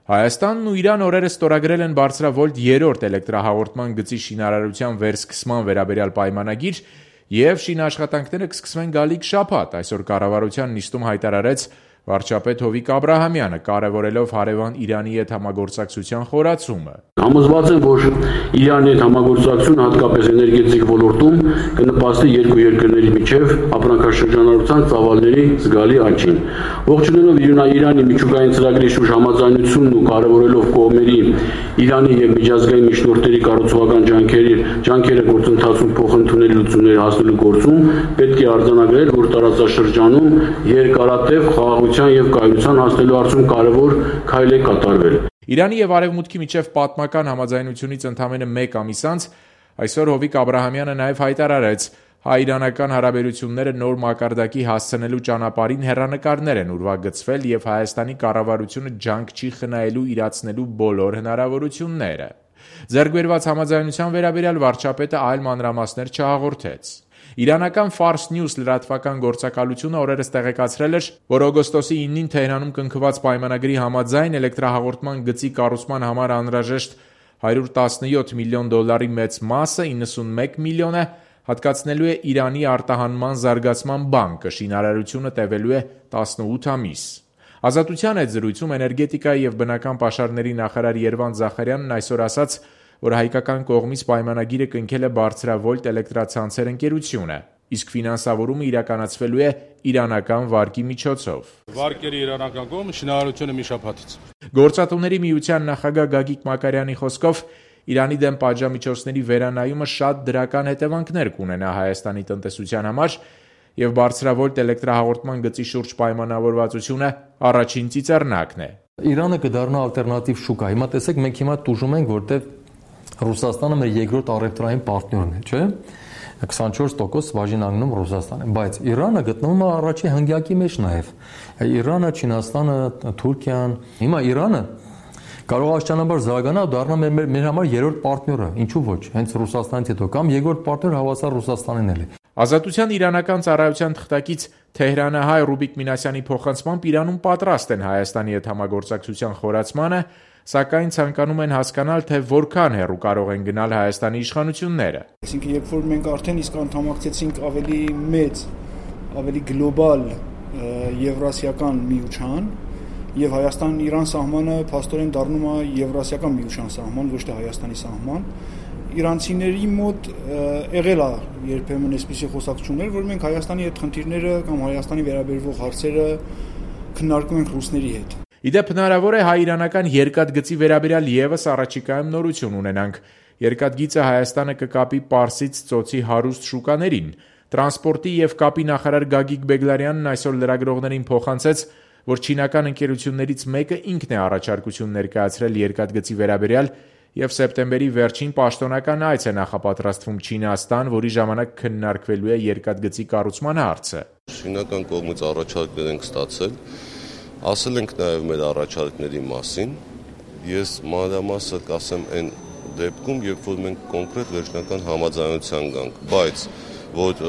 Հայաստանն ու Իրան օրերս ստորագրել են բարձրավոլտ 3-րդ էլեկտրահաղորդման գծի շինարարության վերսկսման վերաբերյալ պայմանագիր և շինաշխատանքները կսկսվեն գալիք շաբաթ, այսօր կառավարության նիստում հայտարարեց վարչապետ Հովիկ Աբրահամյանը, կարևորելով հարևան Իրանի հետ համագործակցության խորացումը. Համոզված եմ, որ Իրանի հետ համագործակցությունը հատկապես էներգետիկ ոլորտում կնպաստի երկու երկրների միջև ապրանքաշրջանառության ծավալների զգալի աճին։ Ողջունելով Իրանի միջուկային ծրագրի շուրջ համաձայնությունն ու կարևորելով կողմերի Իրանի և միջազգային միջնորդների կառուցողական ջանքերը գործընթացում փոխընդունելի լուծումներ հասնելու գործում պետք է արձանագրել, որ տարածաշրջանում երկարատև խաղաղության և կայունության հասնելու հարցում կարևոր քայլ է կատարվել։ Իրանի և Արևմուտքի միջև պատմական համաձայնությունից ընդամենը մեկ ամիս անց այսօր Հովիկ Աբրահամյանը նաև հայտարարեց հայ-իրանական հարաբերությունները նոր մակարդակի հասցնելու ճանապարհին հեռանկարներ են ուրվագծվել և Հայաստանի կառավարությունը ջանք չի խնայելու իրացնելու բոլոր հնարավորությունները։ Ձեռք բերված համաձայնության վերաբերյալ վարչապետը այլ մանրամասներ չհաղորդեց։ Իրանական Fars News լրատվական գործակալությունը օրերս տեղեկացրել էր, որ օգոստոսի 9-ին Թեհրանում կնքված պայմանագրի համաձայն էլեկտրահաղորդման գծի կառուցման համար անհրաժեշտ $117 միլիոն մեծ մասը, 91 միլիոնը, հատկացնելու է Իրանի արտահանման զարգացման բանկը, շինարարությունը տևելու է 18 ամիս։ Ազատության հետ զրույցում էներգետիկայի և բնական պաշարների նախարար Երվանդ Զախարյանն այսօր ասաց, որ հայկական կողմից պայմանագիրը կնքել է բարձրավոլտ էլեկտրացանցեր ընկերությունը, իսկ ֆինանսավորումը իրականացվելու է իրանական վարկի միջոցով։ Վարկերի իրանական կողմը շինարարությունը մի շաբաթից։ Գործատուների միության նախագահ Գագիկ Մակարյանի խոսքով Իրանի դեմ պատժամիջոցների վերանայումը շատ դրական հետևանքներ կունենա Հայաստանի տնտեսության համար և բարձրավոլտ էլեկտրահաղորդման գծի շուրջ պայմանավորվածությունը առաջին ծիծեռնակն է։ Իրանը կդառնա ալտերնատիվ շուկա։ Հիմա տեսեք, մենք հիմա տուժում ենք, որտեղ Ռուսաստանը մեր երկրորդ առևտրային պարտներն է, չէ՞։ 24% բաժին անգնում Ռուսաստանն է, բայց Իրանը գտնվում է առաջի հնգյակի մեջ նաև։ Իրանը, Չինաստանը, Թուրքիան, հիմա Իրանը կարող է աստիճանաբար զարգանալ ու դառնա մեր համար երրորդ պարտները, ինչու ոչ, հենց Ռուսաստանից հետո կամ երկրորդ պարտներ հավասար Ռուսաստանին էլ է։ Ազատության իրանական ծառայության թղթակից Թեհրանահայ Ռուբիկ Մինասյանի փոխանցմամբ Իրանում պատրաստ են Հայաստանի հետ համագործակցության խորացմանը, սակայն ցանկանում են հասկանալ, թե որքան հեռու կարող են գնալ Հայաստանի իշխանությունները։ Այսինքն, երբ որ մենք արդեն իսկ անդամակցեցինք ավելի մեծ, ավելի գլոբալ եվրասիական միության, եւ Հայաստան-Իրան սահմանը փաստորեն դառնում է եվրասիական միության սահման, ոչ թե Հայաստանի սահման, իրանցիների մոտ եղել է երբեմն այսպիսի խոսակցություններ, որ մենք Հայաստանի հետ խնդիրները կամ Հայաստանի վերաբերվող հարցերը քննարկում ենք ռուսների հետ։ Իդեպ հնարավոր է հայ-իրանական երկաթգծի վերաբերյալ ևս առաջիկայում նորություն ունենանք։ Երկաթգիծը Հայաստանը կկապի Պարսից ծոցի հարուստ շուկաներին։ Տրանսպորտի եւ կապի նախարար Գագիկ Բեգլարյանն այսօր լրագրողներին փոխանցեց, որ չինական ընկերություններից մեկը ինքն է առաջարկություն ներկայացրել երկաթգծի վերաբերյալ և սեպտեմբերի վերջին պաշտոնական այց է նախապատրաստվում Չինաստան, որի ժամանակ քննարկվելու է երկաթգծի կառուցման հարցը։ Չինական կողմից առաջարկներ ենք ստացել, ասել ենք նաև մեր առաջարկների մասին։ Ես մանրամասը կասեմ այն դեպքում, երբ որ մենք կոնկրետ վերջնական համաձայնության գանք, բայց որ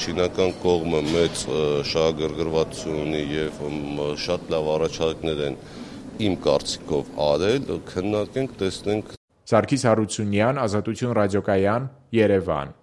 չինական կողմը մեծ շահագրգռվածություն ունի և շատ լավ առաջարկներ են իմ կարծիքով արել, քննարկենք, տեսնենք։ Սարգիս Հարությունյան, Ազատություն ռադիոկայան, Երևան։